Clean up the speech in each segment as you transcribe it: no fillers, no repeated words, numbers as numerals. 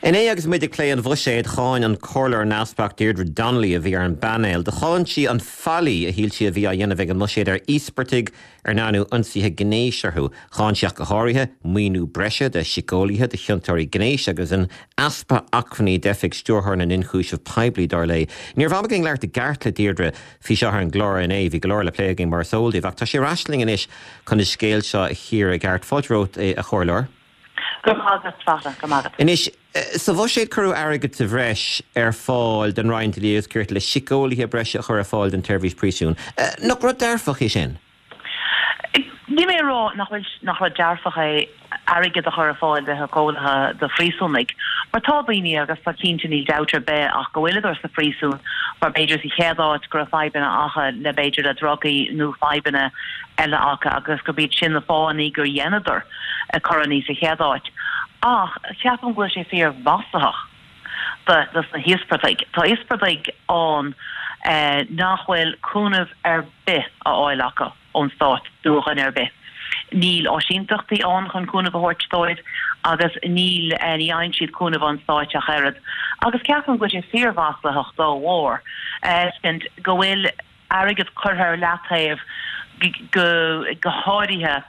Inné agus muid ag plé an bhuiséid, cháin an Comhairleoir neamhspleách Deirdre Donnelly a bhí ar an bpainéal. Do cháin sí an faillí a shíl sí a bhí á dhéanamh ag an mbuiséad ar íospartaigh ar ndearnadh ionsaithe gnéis orthu. Cháin sí ach go háirithe, maoiniú breise do shíceolaithe do chiontóirí gnéis agus an easpa acmhainní d'Oifig Stiúrthóir na nIonchúiseamh Poiblí, dar léi. Ní raibh am againn labhairt i gceart le Deirdre faoi seo ar an gclár inné, bhí go leor le plé againn mar is eol daoibh, ach tá sí ar ais linn anois chun an scéal seo a chíoradh i gceart. Fáilte romhat, a Chomhairleoir. Go raibh maith agat, Fachtna, go raibh maith agat. Anois, sa bhuiséad cuireadh airgead sa bhreis ar fáil don Roinn Dlí agus Cirt le síceolaithe breise a chur ar fáil don tseirbhís príosúin. Nach rud dearfach é sin? Níl mé ag rá nach bhfuil, nach rud dearfach é airgead a chur ar fáil do shíceolaithe do phríosúnaigh, mar tá daoine, agus tá cinnte níl dabht ar bith ach go bhfuileadar sa phríosún mar b'fhéidir sa chéad áit go raibh fadhbanna acu le b'fhéidir le drugaí nó fadhbanna eile acu agus gurb iad sin na fáthanna gur dheineadar coireanna sa chéad áit. Ach ceapaim go bhfuil sé fíor mhaslaitheach do dos na híospartaigh. Tá íospartaigh ann nach bhfuil cúnamh ar bith á fháil acu ón stát nó ó dhuine ar bith. Níl áisínteachtaí ann chun cúnamh a thabhairt dóibh agus níl ní fhaigheann siad cúnamh ón stáit ach oiread. Agus ceapaim go bhfuil sé fíor mhaslaitheach dá bharr go bhfuil airgead curtha ar leataobh go háirithe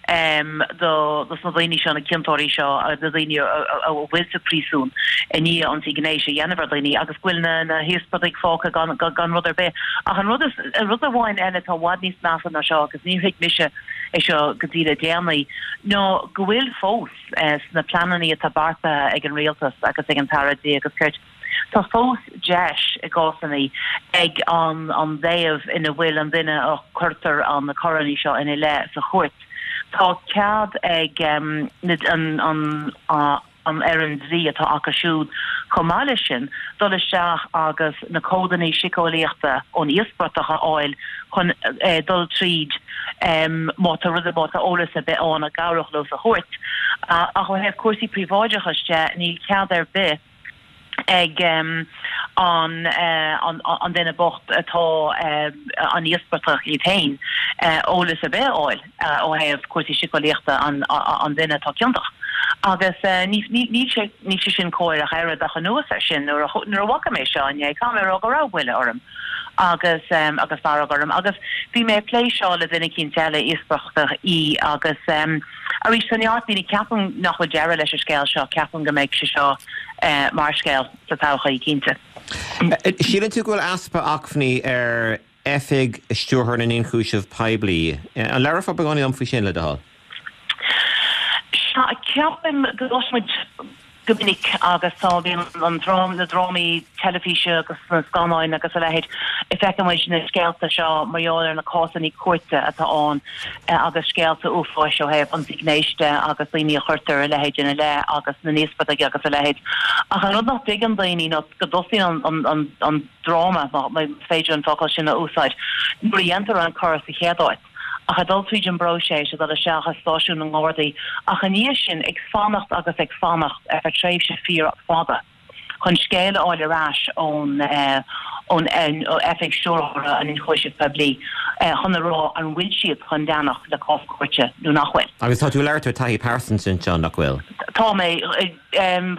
do na daoine seo, na ciontóirí seo, na daoine a bhfuil sa phríosún i ndiaidh ionsaí gnéis a dhéanamh ar dhaoine agus go bhfuil na híospartaigh fágtha gan rud ar bith. Ach an rud is, rud amháin eile atá i bhfad níos measa ná seo agus níor thuig mise é seo go dtí le déanaí ná go bhfuil fós sna pleananna atá beartaithe ag an rialtas agus ag an tAire Dlí agus Cirt, Tá fós deis i gcásanna ag an dtaobh ina bhfuil an duine a cuirtear na coireanna seo ina leith sa chúirt. Tá cead ag an fhoireann dlí atá acu siúd chomh maith leis sin dul isteach agus na comhadanna síceolaíochta ón íospartach a fháil chun dul tríd má tá rud, má tá eolas ar bith ann a chabhródh leo sa chúirt. Ach ó thaobh cúrsaí príobháideachais de, níl cead ar bith ag an duine bocht atá an íospartach iad féin eolas ar bith a fháil ó thaobh cúrsaí síceolaíochta an duine atá ciontach. Agus níl sé níl sé sin cóir ach oiread ach anuas air sin nuair a nuair a bhfaca mé seo inné caithfidh mé a rá go raibh buille orm agus agus fearg orm agus bhí mé ag plé seo le duine eicínt eile íospartach í agus Arís, tá neart daoine, ceapaim nach bhfuil deireadh leis an scéal seo, ceapaim go mbeidh sé seo mar scéal sa todhchaí, cinnte. Síleann tú go bhfuil easpa acmhainní ar Oifig Stiúrthóir na nIonchúiseamh Poiblí. An labhrófá beagáinín liom faoi sin, le do thoil? Sea, ceapaim go gcloisimid go minic agus tá, bíonn an drám, na drámaí teilifíse agus na scannáin agus a leithéid, feiceann muid na scéalta seo mar gheall ar na cásanna cúirte atá ann agus scéalta uafáis ó thaobh ionsaí gnéis de agus daoine a chuirtear a leithéid ina leith agus na n-íospartaigh agus a leithéid. Ach an rud nach dtuigeann daoine ná go dtosaíonn an, an, an dráma, más féidir an focal sin a úsáid, nuair a dhéantar an coir sa chéad áit. ach ag dul tríd an bpróiseas, ag dul isteach i stáisiún na nGardaí, ach i ndiaidh sin ag fanacht agus ag fanacht ar feadh tréimhse fíor fada chun scéal a fháil ar ais ón ón Oifig Stiúrthóra an Ionchúisimh Poiblí chun a rá an bhfuil siad chun leanacht le cás cúirte nó nach bhfuil. Agus tá tú ag labhairt ó taithí pearsanta anseo, nach bhfuil? Tá mé.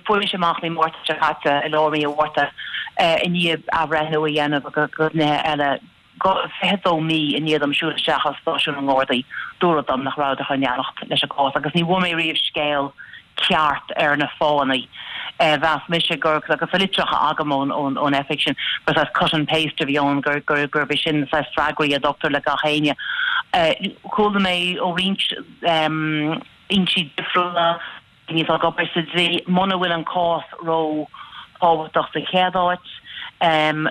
Fuair mise amach mí Márta seo caite, i lár mí an Mhárta, i ndiaidh athbhreithniú a dhéanamh agus nithe eile, 22 mí i ndiaidh dom siúl isteach as stáisiún na nGardaí, dúradh dom nach rabhadar chun leanacht leis an gcás agus ní bhfuair mé riamh scéal ceart ar na fáthanna. Mheas mise gur, agus tá litreacha agam ón oifig sin, gur saghas cut and paste a bhí ann, gurb é sin na saghas freagraí a dtugtar le gach éinne. Chuala mé ó roinnt fhoinsí difriúla, daoine atá ag obair sa dlí, muna bhfuil an cás ró thábhachtach sa chéad áit,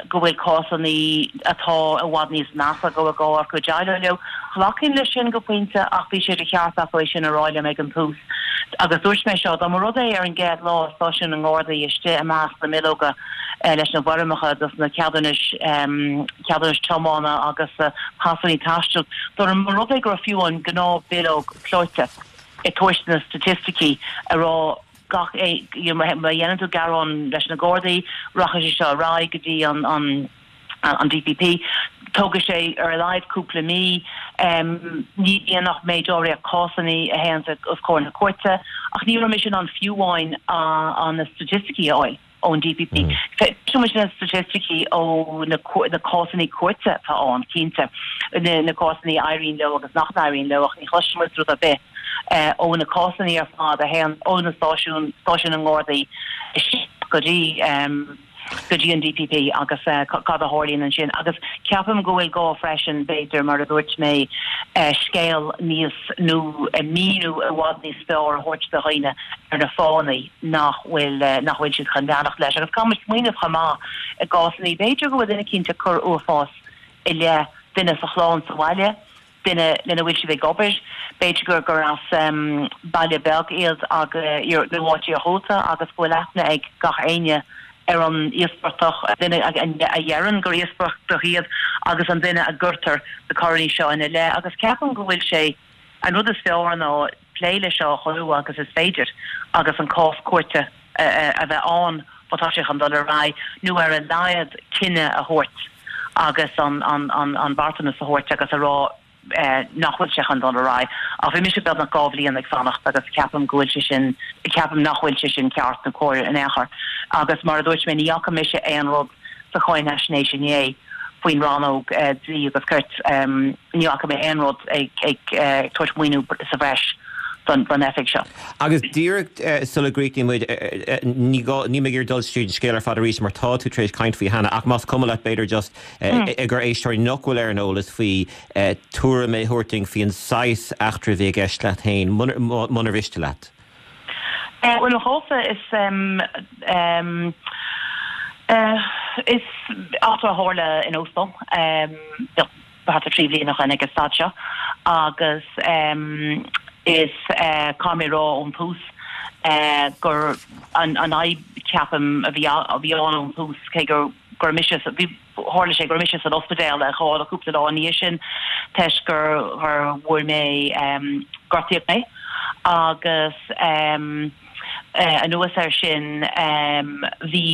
go bhfuil cásanna atá i bhfad níos measa go bhfuil gá acu déileáil leo. Ghlacfainn leis sin go pointe ach bhí sé de cheart acu é sin a rá liom ag an tús. Agus dúirt mé seo, dá mba rud é ar an gcéad lá i stáisiún na nGardaí istigh i measc na mbileoga leis na bhfoirmeacha dos na ceadúnais, ceadúnais tiomána agus pasanna taistil, dá mba rud é go raibh fiú an gnáth bileog clóite, ag tabhairt na staitisticí ag rá gach you know má dhéanann tú gearán leis na Gardaí rachaidh sé seo ar aghaidh go dtí an an an DPP. Tógfaidh sé ar a laghad cúpla mí. Ní bhíonn ach méid áirithe cásanna a théann os comhair na cúirte, ach ní raibh mise in ann fiú amháin na staitisticí a fháil ón DPP. Cloiseann muid na staitisticí ó na cásanna cúirte atá ann, cinnte, na cásanna a éiríonn leo agus nach n-éiríonn leo, ach ní chloiseann muid rud ar bith ó na cásanna ar fad a théann ó na stáisiúin, stáisiún na nGardaí isteach go dtí. go dtí an DPP agus cad a tharlaíonn ansin. Agus ceapaim go bhfuil gá freisin, b'fhéidir, mar a dúirt mé, scéal níos, nó míniú i bhfad níos fearr a thabhairt do dhaoine ar na fáthanna nach bhfuil, nach bhfuil siad chun leanacht leis. Agus caithfidh muid smaoineamh chomh maith i gcásanna, b'fhéidir go bhfuil duine eicínt ag cur uafás i leith duine sa chlann sa bhaile, duine lena bhfuil siad ag obair, b'fhéidir gur gur as baile beag iad nó áit iarghúlta agus go bhfuil aithne ag gach éinne ar an íospartach, an duine a dheireann gur íospartach iad agus an duine a gcuirtear na coireanna seo ina leith. Agus ceapaim go bhfuil sé, an rud is fearr ná plé leis seo chomh luath agus is féidir agus an cás cúirte a bheith ann má tá sé chun dul ar aghaidh, nó ar a laghad cinneadh a thabhairt agus an beartanas a thabhairt agus a rá nach bhfuil sé chun dul ar aghaidh. Ach bhí mise beagnach 2 bhliain ag fanacht agus ceapaim go bhfuil sé sin, ceapaim nach bhfuil sé sin ceart nó cóir in aon chor. Agus mar a dúirt mé, ní fhaca mise aon rud sa cháinfhaisnéis inné faoin rannóg dlí agus cirt, ní fhaca mé aon rud ag tabhairt maoiniú sa bhreis don oifig seo. Agus díreach sula gcríochnaíonn muid, ní gá, níl mé ag iarraidh dul tríd an scéal ar fad arís mar tá tú tar éis caint faoi cheana, ach más cuma leat b'fhéidir just i gcomhair éisteoirí nach bhfuil ar an eolas faoi, tuairim a thabhairt dúinn faoin saghas eachtra a bhí i gceist leat féin, munar mhiste leat. Bhuel, mo chás-sa is is eachtra a tharla in óstán thart ar 3 bhliain ó shin ag an staid seo agus is caithfidh mé a rá ón tús gur an fhadhb ceapaim a bhí a bhí ann ón tús cé gur go raibh mise bhí tharla sé go raibh mise san ospidéal ar ghabháil cúpla lá ina dhiaidh sin toisc gur gur bhfuair mé gortaíodh mé agus anuas air sin bhí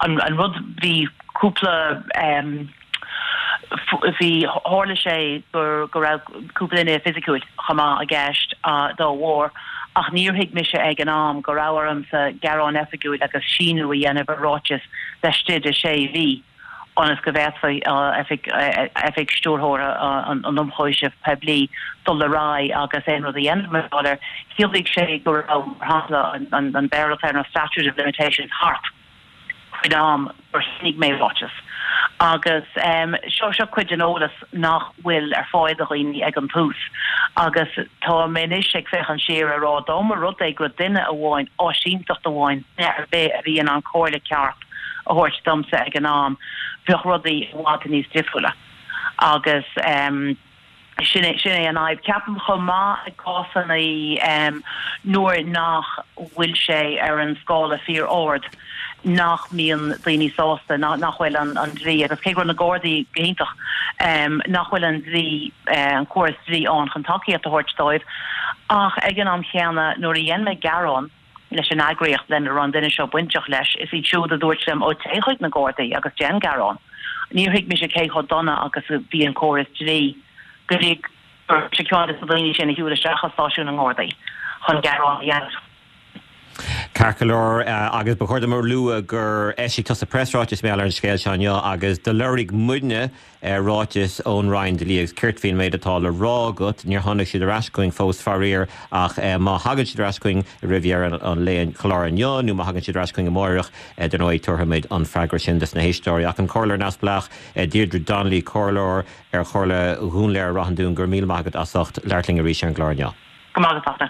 an an rud bhí cúpla bhí tharla sé gur go raibh cúpla duine fisiciúil chomh maith i gceist dá bharr ach níor thuig mise ag an am go raibh ormsa gearán oifigiúil agus síniú a dhéanamh ar ráiteas laistigh de sé mhí ionas go bhféadfaí oifig oifig stiúrthóra an Ionchúisimh Poiblí dul ar aghaidh agus aon rud a dhéanamh mar gheall air. Chiallaigh sé go raibh, mar shampla, an Béarla atá ar an statute of limitations thart. faoin am gur shínigh mé ráiteas. Agus seo, seo cuid den eolas nach bhfuil ar fáil do dhaoine ag an tús. Agus tá mé anois ag féachaint siar a rá dá mba rud é go raibh duine amháin, áisínteacht amháin, duine ar bith a bhí in ann comhairle ceart a thabhairt domsa ag an am, bheadh rudaí i bhfad níos difriúla. Agus. Sin é, sin é an fhadhb. Ceapaim chomh maith i gcásanna nuair nach bhfuil sé ar an scála fíor-ard nach mbíonn daoine sásta, nach bhfuil an dlí, agus cé go raibh na Gardaí go hiontach, nach bhfuil an dlí, an córas dlí ann chun tacaíocht a thabhairt dóibh. Ach ag an am chéanna nuair a dhein mé gearán, leis an eagraíocht lena raibh an duine seo bainteach leis, is iad siúd a dúirt liom, 'Ó, téigh chuig na Gardaí agus déan gearán. Níor thuig mise cé chomh dona agus a bhí an córas dlí go dtí go raibh mise ceann de na daoine sin a shiúil isteach i stáisiún na nGardaí chun gearán a dhéanamh. Ceart go leor, agus ba chóir dom a lua gur eisigh tusa preasráiteas mar gheall ar an scéal seo inniu agus do lorg muidne ráiteas ón Roinn Dlí agus Cirt faoin méid atá le rá agat. Níor tháinig siad ar ais chugainn fós, faraor, ach má thagann siad ar ais chugainn roimh dheireadh an lae an chláir inniu nó má thagann siad ar ais chugainn amáireach, dar ndóigh, tabharfaimid an freagra sin dos na héisteoirí. Ach an Comhairleoir Neamhspleách, Deirdre Donnelly, Comhairleoir ar Chomhairle Dhún Laoghaire Ráth an Dúin, go raibh míle maith agat as ucht labhairt linn arís ar an gclár inniu. Go maith agat, Fachtna.